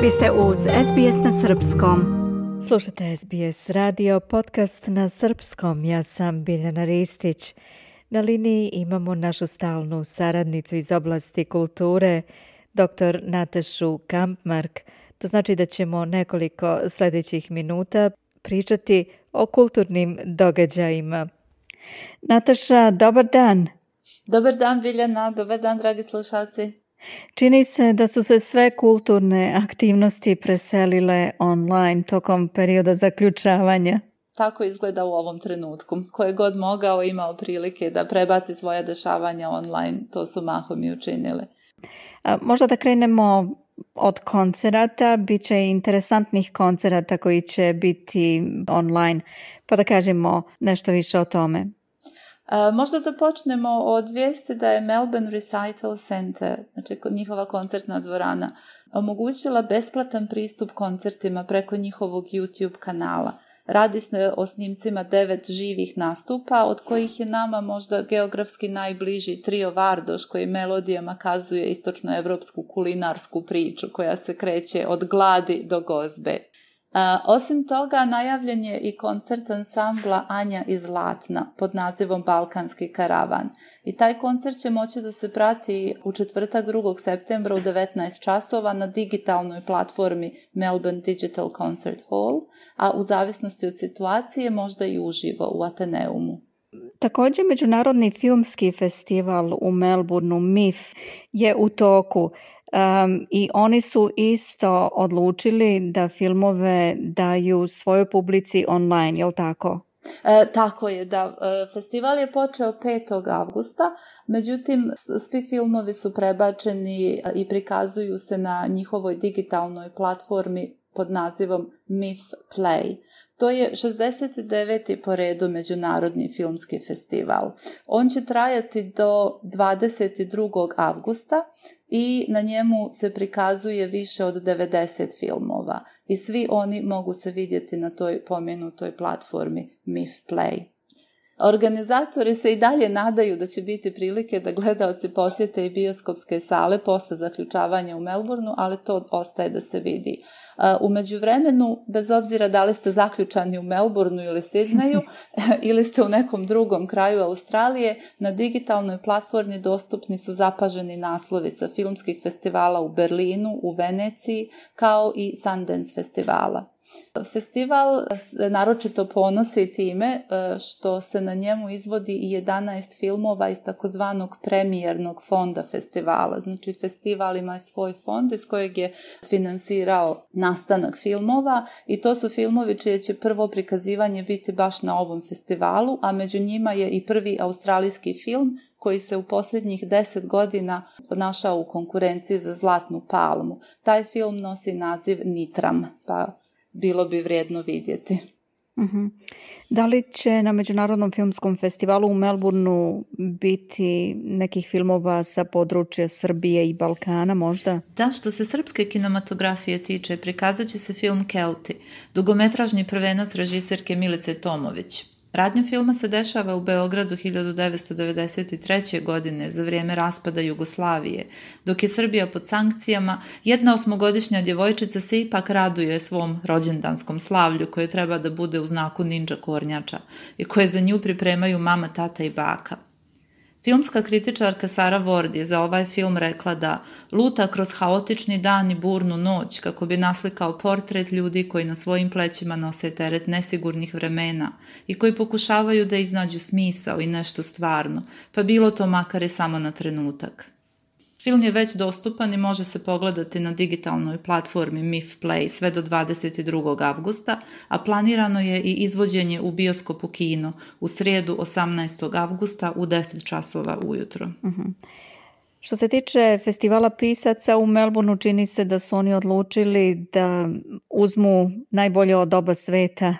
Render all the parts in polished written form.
Vi ste uz SBS na Srpskom. Slušate SBS radio, podcast na Srpskom. Ja sam Biljana Ristić. Na liniji imamo našu stalnu saradnicu iz oblasti kulture, dr. Natašu Kampmark. To znači da ćemo nekoliko sljedećih minuta pričati o kulturnim događajima. Nataša, dobar dan. Dobar dan, Biljana. Dobar dan, dragi slušalci. Čini se da su se sve kulturne aktivnosti preselile online tokom perioda zaključavanja. Tako izgleda u ovom trenutku. Ko je god mogao imao prilike da prebaci svoja dešavanja online, to su mahom i učinili. Možda da krenemo od koncerata. Biće interesantnih koncerata koji će biti online, pa da kažemo nešto više o tome. Možda da počnemo od vijesti da je Melbourne Recital Centre, znači njihova koncertna dvorana, omogućila besplatan pristup koncertima preko njihovog YouTube kanala. Radi se o snimcima 9 živih nastupa, od kojih je nama možda geografski najbliži trio Vardoš, koji melodijama kazuje istočnoevropsku kulinarsku priču koja se kreće od gladi do gozbe. Osim toga, najavljen je i koncert ansambla Anja iz Zlatna pod nazivom Balkanski karavan. I taj koncert će moći da se prati u četvrtak 2. septembra u 19 časova na digitalnoj platformi Melbourne Digital Concert Hall, a u zavisnosti od situacije možda i uživo u Ateneumu. Također, Međunarodni filmski festival u Melbourneu, MIF, je u toku. I oni su isto odlučili da filmove daju svojoj publici online, je li tako? Tako je, da. Festival je počeo 5. avgusta, međutim svi filmovi su prebačeni i prikazuju se na njihovoj digitalnoj platformi pod nazivom MIF Play. To je 69. po redu Međunarodni filmski festival. On će trajati do 22. avgusta i na njemu se prikazuje više od 90 filmova i svi oni mogu se vidjeti na toj pomenutoj platformi MIF Play. Organizatori se i dalje nadaju da će biti prilike da gledaoci posjete i bioskopske sale posle zaključavanja u Melbourneu, ali to ostaje da se vidi. U međuvremenu, bez obzira da li ste zaključani u Melbourneu ili Sidneju ili ste u nekom drugom kraju Australije, na digitalnoj platformi dostupni su zapaženi naslovi sa filmskih festivala u Berlinu, u Veneciji, kao i Sundance festivala. Festival naročito ponosi time što se na njemu izvodi i 11 filmova iz takozvanog premijernog fonda festivala. Znači, festival ima svoj fond iz kojeg je finansirao nastanak filmova i to su filmovi čije će prvo prikazivanje biti baš na ovom festivalu, a među njima je i prvi australijski film koji se u posljednjih 10 godina našao u konkurenciji za Zlatnu palmu. Taj film nosi naziv Nitram, pa bilo bi vrijedno vidjeti. Uh-huh. Da li će na Međunarodnom filmskom festivalu u Melbourneu biti nekih filmova sa područja Srbije i Balkana možda? Da, što se srpske kinematografije tiče, prikazat će se film Kelti, dugometražni prvenac režiserke Milice Tomović. Radnja filma se dešava u Beogradu 1993. godine za vrijeme raspada Jugoslavije. Dok je Srbija pod sankcijama, jedna 8-godišnja djevojčica se ipak raduje svom rođendanskom slavlju koje treba da bude u znaku ninja kornjača i koje za nju pripremaju mama, tata i baka. Filmska kritičarka Sara Ward je za ovaj film rekla da luta kroz haotični dan i burnu noć kako bi naslikao portret ljudi koji na svojim plećima nose teret nesigurnih vremena i koji pokušavaju da iznađu smisao i nešto stvarno, pa bilo to makar i samo na trenutak. Film je već dostupan i može se pogledati na digitalnoj platformi MIF Play sve do 22. avgusta, a planirano je i izvođenje u bioskopu kino u srijedu 18. avgusta u 10 časova ujutro. Uh-huh. Što se tiče festivala pisaca u Melbourneu, čini se da su oni odlučili da uzmu najbolje od oba sveta,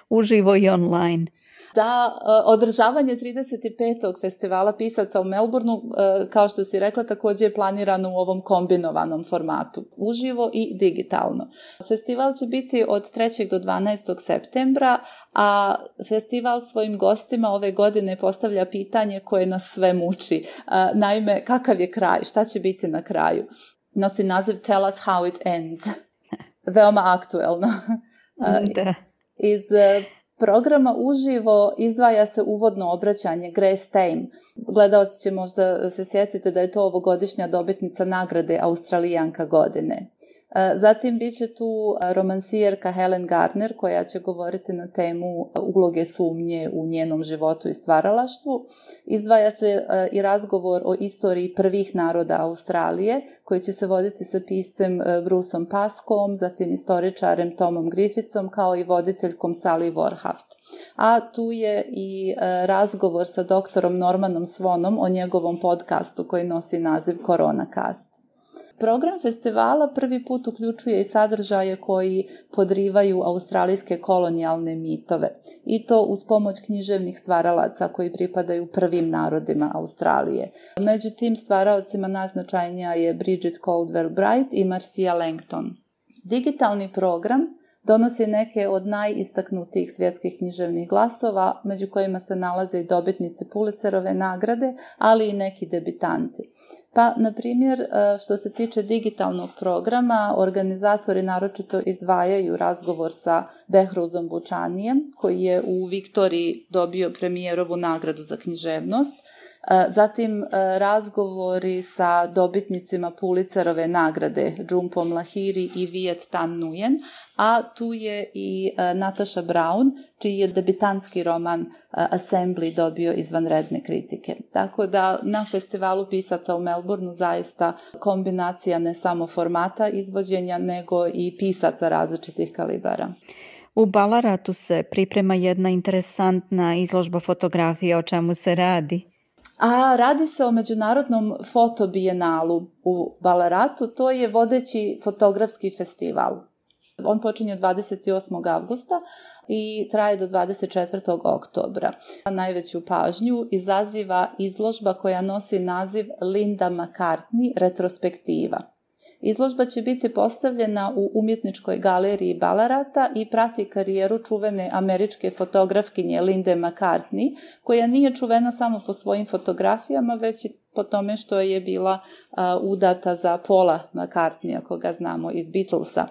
uživo i online. Da, održavanje 35. festivala pisaca u Melbourneu, kao što si rekla, također je planirano u ovom kombinovanom formatu, uživo i digitalno. Festival će biti od 3. do 12. septembra, a festival svojim gostima ove godine postavlja pitanje koje nas sve muči. Naime, kakav je kraj, šta će biti na kraju? Nosi naziv Tell us how it ends. veoma aktuelno. Da. Iz programa uživo izdvaja se uvodno obraćanje Grace Tame. Gledalci će možda se sjetiti da je to ovogodišnja dobitnica nagrade Australijanka godine. Zatim bit će tu romansijerka Helen Garner koja će govoriti na temu uloge sumnje u njenom životu i stvaralaštvu. Izdvaja se i razgovor o istoriji prvih naroda Australije koji će se voditi sa piscem Bruceom Paskom, zatim istoričarem Tomom Griffithsom kao i voditeljkom Sally Warhaft. A tu je i razgovor sa doktorom Normanom Swonom o njegovom podcastu koji nosi naziv Coronacast. Program festivala prvi put uključuje i sadržaje koji podrivaju australijske kolonijalne mitove i to uz pomoć književnih stvaralaca koji pripadaju prvim narodima Australije. Među tim stvaralcima najznačajnija je Bridget Caldwell-Bright i Marcia Langton. Digitalni program donosi neke od najistaknutijih svjetskih književnih glasova, među kojima se nalaze i dobitnice Pulitzerove nagrade, ali i neki debitanti. Pa, na primjer, što se tiče digitalnog programa, organizatori naročito izdvajaju razgovor sa Behruzom Bučanijem, koji je u Viktoriji dobio premijerovu nagradu za književnost. Zatim razgovori sa dobitnicima Pulitzerove nagrade Džumpom Lahiri i Viet Thanh Nguyen, a tu je i Natasha Brown, čiji je debitantski roman Assembly dobio izvanredne kritike. Tako da na festivalu pisaca u Melbourneu zaista kombinacija ne samo formata izvođenja, nego i pisaca različitih kalibara. U Ballaratu se priprema jedna interesantna izložba fotografije. O čemu se radi? A radi se o međunarodnom fotobijenalu u Ballaratu, to je vodeći fotografski festival. On počinje 28. avgusta i traje do 24. oktobra. Najveću pažnju izaziva izložba koja nosi naziv Linda McCartney retrospektiva. Izložba će biti postavljena u umjetničkoj galeriji Ballarata i prati karijeru čuvene američke fotografkinje Linde McCartney, koja nije čuvena samo po svojim fotografijama, već i po tome što je bila udata za Paula McCartneya, koga znamo iz Beatlesa.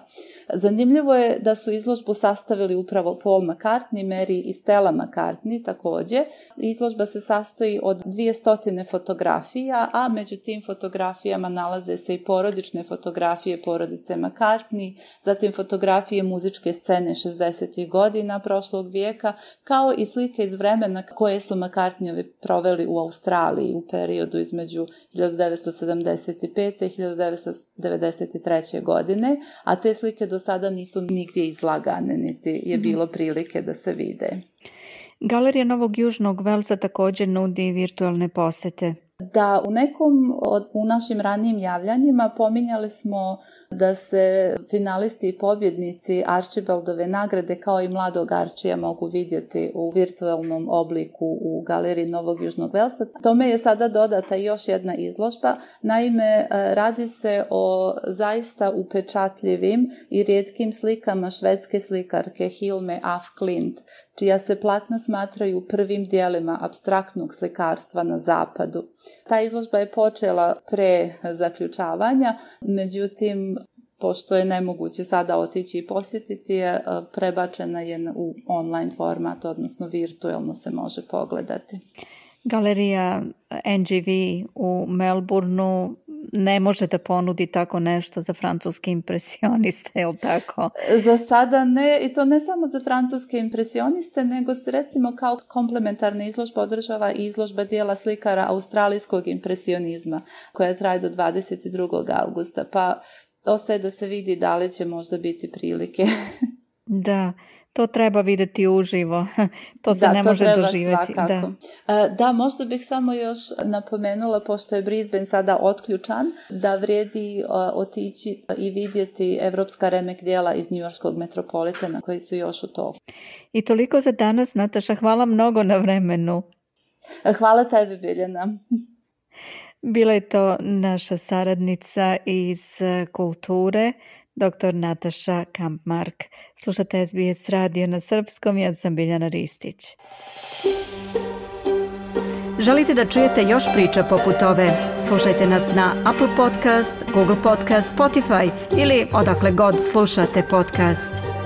Zanimljivo je da su izložbu sastavili upravo Paul McCartney, Mary i Stella McCartney također. Izložba se sastoji od 200 fotografija, a među tim fotografijama nalaze se i porodične fotografije porodice McCartney, zatim fotografije muzičke scene 60. godina prošlog vijeka, kao i slike iz vremena koje su McCartneyovi proveli u Australiji u periodu između 1975. i 1993. godine, a te slike do sada nisu nigdje izlagane, niti je bilo prilike da se vide. Galerija Novog Južnog Velsa također nudi virtualne posjete. Da, u našim ranijim javljanjima pominjali smo da se finalisti i pobjednici Archibaldove nagrade kao i mladog Archija mogu vidjeti u virtualnom obliku u Galeriji Novog Južnog Velsa. Tome je sada dodata još jedna izložba. Naime, radi se o zaista upečatljivim i rijetkim slikama švedske slikarke Hilme af Klint, čija se platna smatraju prvim dijelima apstraktnog slikarstva na zapadu. Ta izložba je počela pre zaključavanja, međutim, pošto je nemoguće sada otići i posjetiti je, prebačena je u online format, odnosno virtualno se može pogledati. Galerija NGV u Melbourneu ne može da ponudi tako nešto za francuske impresioniste, je li tako? Za sada ne, i to ne samo za francuske impresioniste, nego se recimo kao komplementarna izložba održava i izložba dijela slikara australijskog impresionizma, koja traje do 22. augusta, pa ostaje da se vidi da li će možda biti prilike. Da, to treba vidjeti uživo. To se ne može doživjeti. Da, možda bih samo još napomenula, pošto je Brisbane sada otključan, da vrijedi otići i vidjeti evropska remek djela iz njujorškog metropolitana koji su još u toku. I toliko za danas, Nataša. Hvala mnogo na vremenu. Hvala tebi, Biljana. Bila je to naša saradnica iz kulture, dr. Nataša Kampmark. Slušate SBS radio na srpskom, ja sam Biljana Ristić. Želite da čujete još priča poput ove? Slušajte nas na Apple Podcast, Google Podcast, Spotify ili odakle god slušate podcast.